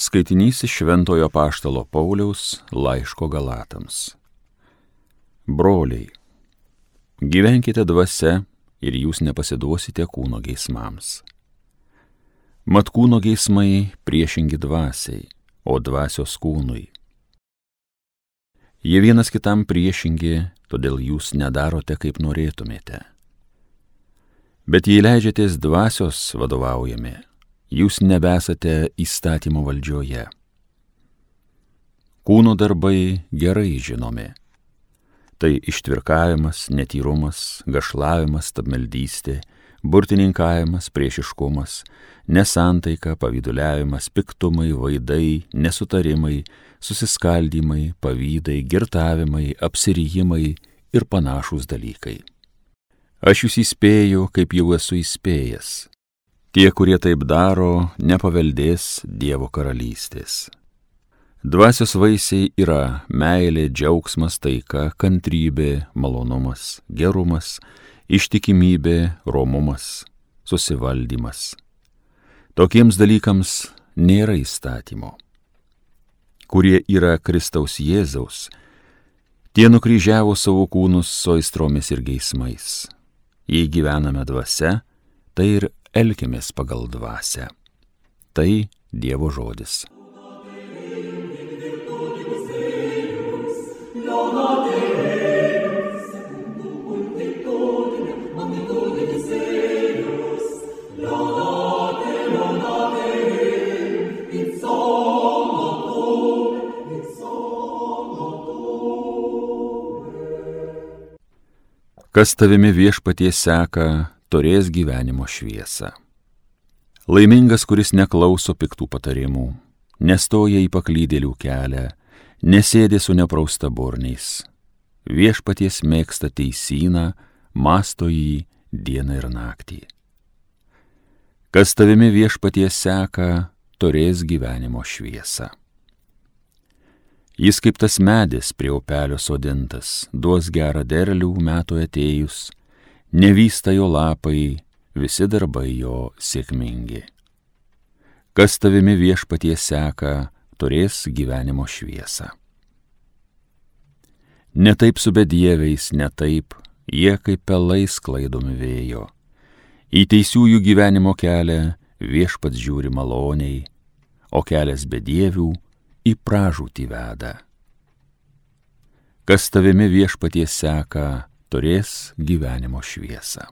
Skaitinys iš Šventojo Apaštalo Pauliaus laiško Galatams. Broliai, gyvenkite dvasia ir jūs nepasiduosite kūno geismams. Mat kūno geismai priešingi dvasiai, o dvasios kūnui. Jie vienas kitam priešingi, todėl jūs nedarote, kaip norėtumėte. Bet jei leidžiatės dvasios vadovaujami, jūs nebesate įstatymo valdžioje. Kūno darbai gerai žinomi. Tai ištvirkavimas, netyrumas, gašlavimas, stabmeldystė, burtininkavimas, priešiškumas, nesantaika, pavyduliavimas, piktumai, vaidai, nesutarimai, susiskaldymai, pavydai, girtavimai, apsirijimai ir panašūs dalykai. Aš jūs įspėju, kaip jau esu įspėjęs. Tie, kurie taip daro, nepaveldės Dievo karalystės. Dvasios vaisiai yra meilė, džiaugsmas, taika, kantrybė, malonumas, gerumas, ištikimybė, romumas, susivaldymas. Tokiems dalykams nėra įstatymo. Kurie yra Kristaus Jėzaus, tie nukryžiavo savo kūnus su aistromis ir geismais. Jei gyvename dvasia, tai ir elkimės pagal dvasią. Tai Dievo žodis. Kas tavimi Viešpatie seka, turės gyvenimo šviesą. Laimingas, kuris neklauso piktų patarimų, nestoja į paklydėlių kelią, nesėdi su nepraustaburniais. Viešpaties mėgsta teisyną, mąsto jį dieną ir naktį. Kas tavimi Viešpatie seka, turės gyvenimo šviesą. Jis kaip tas medis prie upelio sodintas, duos gerą derlių metų atėjus, nevysta jo lapai, visi darbai jo sėkmingi. Kas tavimi Viešpatie seka, turės gyvenimo šviesą. Ne taip su bedieviais, ne taip, jie kaip pelai sklaidomi vėjo. Į teisiųjų gyvenimo kelią Viešpats žiūri maloniai, o kelias bedievių į pražūtį veda. Kas tavimi Viešpatie seka, turės gyvenimo šviesą.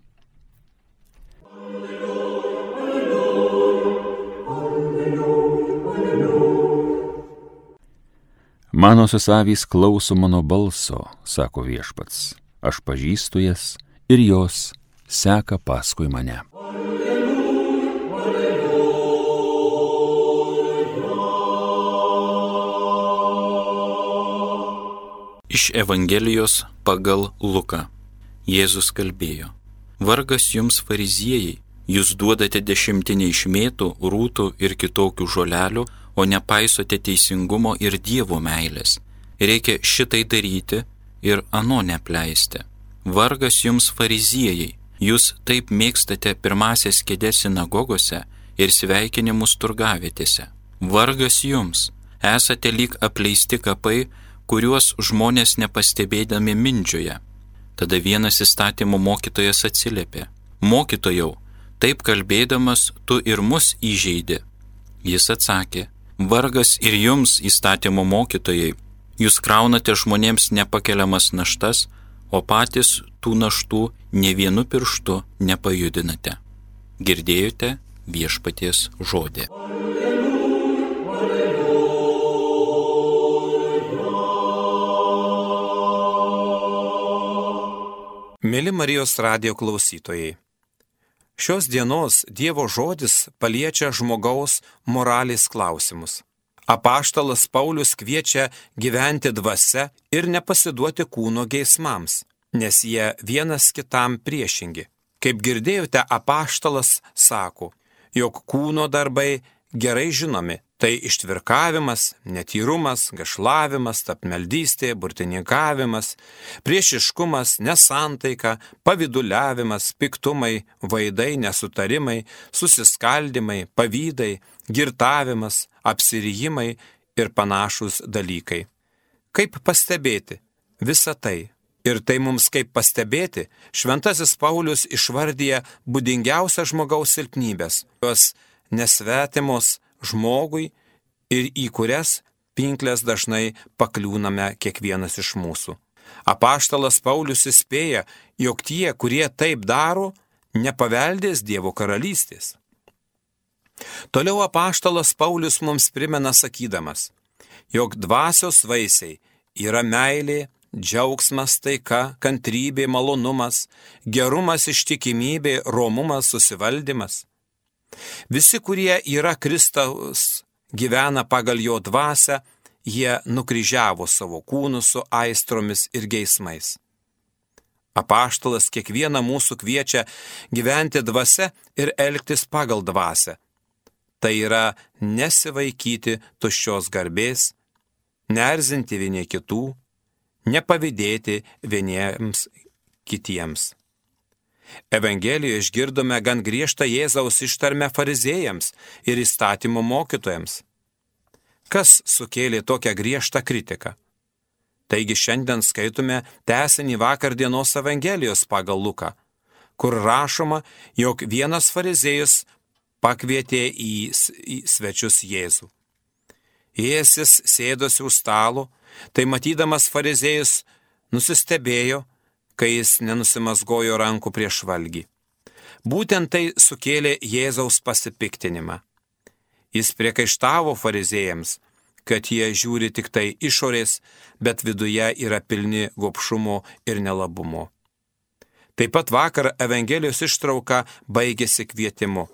Manosios avys klauso mano balso, sako Viešpats, aš pažįstu jas ir jos seka paskui mane. Iš Evangelijos pagal Luką. Jėzus kalbėjo: Vargas jums, fariziejai, jūs duodate dešimtinę iš mėtų, rūtų ir kitokių žolelių, o nepaisote teisingumo ir Dievo meilės. Reikia šitai daryti ir ano neapleisti. Vargas jums, fariziejai, jūs taip mėgstate pirmasias kėdes sinagogose ir sveikinimus turgavietėse. Vargas jums, esate lyg apleisti kapai, kuriuos žmonės nepastebėdami mindžioja. Tada vienas įstatymo mokytojas atsiliepė: Mokytojau, taip kalbėdamas tu ir mus įžeidi. Jis atsakė: Vargas ir jums, įstatymo mokytojai, jūs kraunate žmonėms nepakeliamas naštas, o patys tų naštų nė vienu pirštu nepajudinate. Girdėjote Viešpaties žodį. Mėly Marijos radijo klausytojai, šios dienos Dievo žodis paliečia žmogaus moralės klausimus. Apaštalas Paulius kviečia gyventi dvasia ir nepasiduoti kūno geismams, nes jie vienas kitam priešingi. Kaip girdėjote, apaštalas sako, jog kūno darbai gerai žinomi. Tai ištvirkavimas, netyrumas, gašlavimas, tapmeldystė, burtininkavimas, priešiškumas, nesantaika, pavyduliavimas, piktumai, vaidai, nesutarimai, susiskaldimai, pavydai, girtavimas, apsirijimai ir panašūs dalykai. Kaip pastebėti visą tai? Ir tai mums kaip pastebėti, šventasis Paulius išvardyja būdingiausias žmogaus silpnybės, jos nesvetimos žmogui ir į kurias pinklės dažnai pakliūname kiekvienas iš mūsų. Apaštalas Paulius įspėja, jog tie, kurie taip daro, nepaveldės Dievo karalystės. Toliau apaštalas Paulius mums primena sakydamas, jog dvasios vaisiai yra meilė, džiaugsmas, taika, kantrybė, malonumas, gerumas, ištikimybė, romumas, susivaldymas. Visi, kurie yra Kristaus, gyvena pagal jo dvasią, jie nukryžiavo savo kūnus su aistromis ir geismais. Apaštalas kiekvieną mūsų kviečia gyventi dvasia ir elgtis pagal dvasią. Tai yra nesivaikyti tuščios garbės, neerzinti vieni kitų, nepavydėti vieniems kitiems. Evangelijoje išgirdome gan griežtą Jėzaus ištarmę fariziejams ir įstatymo mokytojams. Kas sukėlė tokią griežtą kritiką? Taigi šiandien skaitome tęsinį vakar dienos Evangelijos pagal Luką, kur rašoma, jog vienas fariziejus pakvietė į svečius Jėzų. Jėzus sėdosi už stalo, tai matydamas fariziejus nusistebėjo, kai jis nenusimasgojo rankų prieš valgį. Būtent tai sukėlė Jėzaus pasipiktinimą. Jis priekaištavo fariziejams, kad jie žiūri tik tai išorės, bet viduje yra pilni gobšumo ir nelabumo. Taip pat vakar Evangelijos ištrauka baigėsi kvietimu.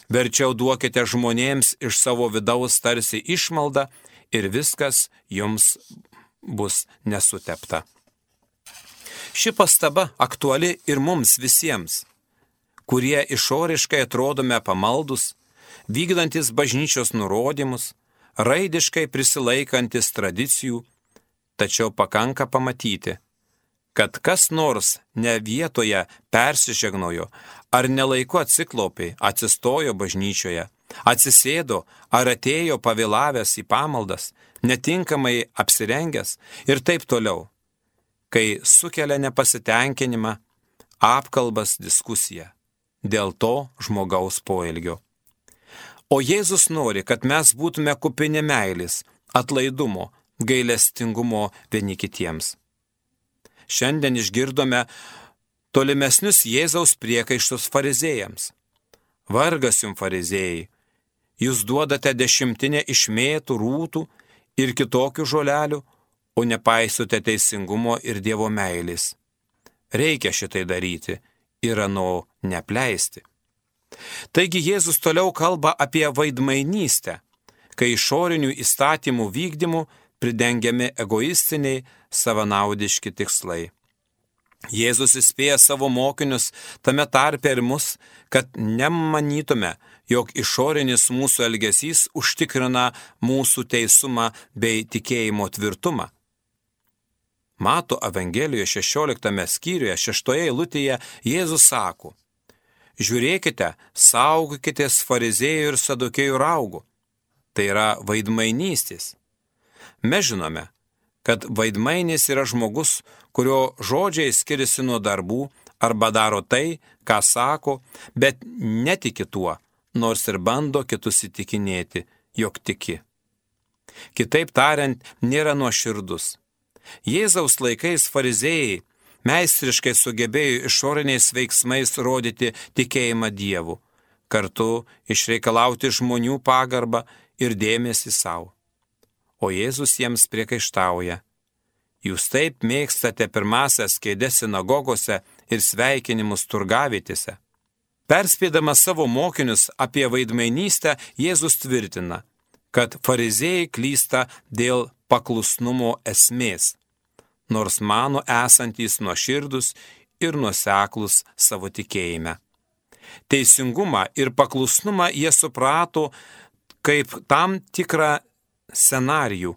Verčiau duokite žmonėms iš savo vidaus tarsi išmaldą ir viskas jums bus nesutepta. Ši pastaba aktuali ir mums visiems, kurie išoriškai atrodome pamaldus, vykdantis bažnyčios nurodymus, raidiškai prisilaikantis tradicijų, tačiau pakanka pamatyti, kad kas nors ne vietoje persižegnojo, ar nelaiku atsiklaupė, atsistojo bažnyčioje, atsisėdo ar atėjo pavėlavęs į pamaldas, netinkamai apsirengęs ir taip toliau, kai sukelia nepasitenkinimą, apkalbas, diskusiją dėl to žmogaus poelgio. O Jėzus nori, kad mes būtume kupini meilės, atlaidumo, gailestingumo vieni kitiems. Šiandien išgirdome tolimesnius Jėzaus priekaištus fariziejams. Vargas jums fariziejai, jūs duodate 10 iš mėtų, rūtų ir kitokių žolelių, o nepaisote teisingumo ir Dievo meilės. Reikia šitai daryti ir ano neapleisti. Taigi Jėzus toliau kalba apie vaidmainystę, kai išorinių įstatymų vykdymų pridengiami egoistiniai, savanaudiški tikslai. Jėzus įspėja savo mokinius, tame tarpe ir mus, kad nemanytume, jog išorinis mūsų elgesys užtikrina mūsų teisumą bei tikėjimo tvirtumą. Mato Evangelijoje 16 skyriuje 6 eilutėje Jėzus sako: žiūrėkite, saugokitės fariziejų ir sadukėjų raugų. Tai yra vaidmainystės. Mes žinome, kad vaidmainis yra žmogus, kurio žodžiai skiriasi nuo darbų arba daro tai, ką sako, bet netiki tuo, nors ir bando kitus įtikinėti, jog tiki. Kitaip tariant, nėra nuoširdus. Jėzaus laikais fariziejai meistriškai sugebėjo išoriniais veiksmais rodyti tikėjimą Dievu, kartu išreikalauti žmonių pagarbą ir dėmesį savo. O Jėzus jiems priekaištauja: jūs taip mėgstate pirmasias kėdes sinagogose ir sveikinimus turgavietėse. Perspėdamas savo mokinius apie vaidmainystę, Jėzus tvirtina, kad fariziejai klysta dėl paklusnumo esmės, nors mano esantys nuoširdus ir nuoseklus savo tikėjime. Teisingumą ir paklusnumą jie suprato kaip tam tikrą scenarijų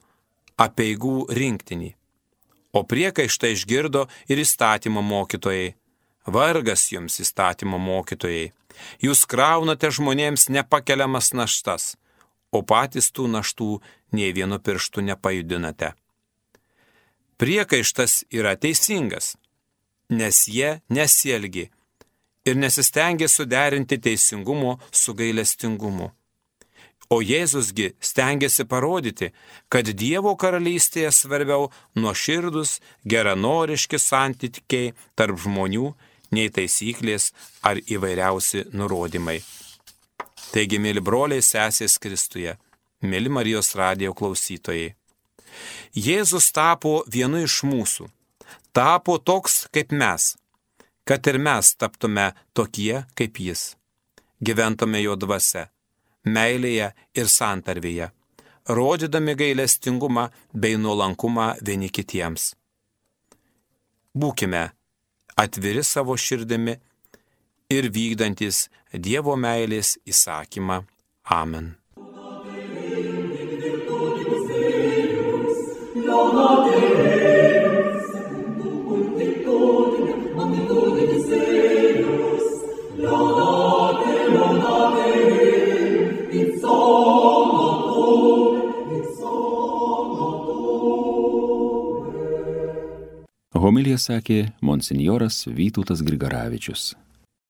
apeigų rinktinį. O priekaištą išgirdo ir įstatymo mokytojai. Vargas jums, įstatymo mokytojai, jūs kraunate žmonėms nepakeliamas naštas, o patys tų naštų nei vienu pirštu nepajudinate. Priekaištas yra teisingas, nes jie nesielgi ir nesistengė suderinti teisingumo su gailestingumu. O Jėzusgi stengiasi parodyti, kad Dievo karalystėje svarbiau nuoširdus, geranoriški santykiai tarp žmonių, nei taisyklės ar įvairiausi nurodymai. Taigi, mėly broliai, sesės Kristuje, mėly Marijos radijo klausytojai, Jėzus tapo vienu iš mūsų, tapo toks kaip mes, kad ir mes taptume tokie kaip jis, gyventume jo dvasia, meilėje ir santarvėje, rodydami gailestingumą bei nuolankumą vieni kitiems. Būkime atviri savo širdimi ir vykdantis Dievo meilės įsakymą. Amen. Homiliją sakė monsinjoras Vytautas Grigaravičius.